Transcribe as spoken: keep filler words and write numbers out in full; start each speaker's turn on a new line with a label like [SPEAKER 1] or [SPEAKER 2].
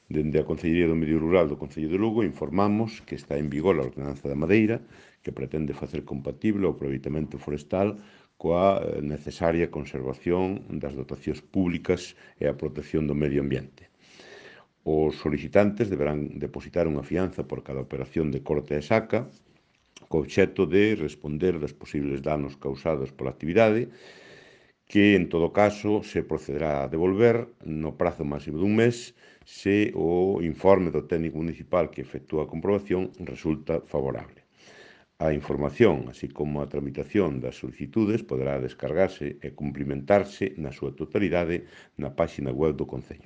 [SPEAKER 1] Dende a Consellería do Medio Rural do Concello de Lugo informamos que está en vigor a Ordenanza da Madeira, que pretende facer compatible o aproveitamento forestal coa necesaria conservación das dotacións públicas e a protección do medio ambiente. Os solicitantes deberán depositar unha fianza por cada operación de corte e saca, co obxecto de responder dos posibles danos causados pola actividade, que, en todo caso, se procederá a devolver no prazo máximo dun mes se o informe do técnico municipal que efectúa a comprobación resulta favorable. A información, así como a tramitación das solicitudes, poderá descargarse e cumplimentarse na súa totalidade na páxina web do Concello.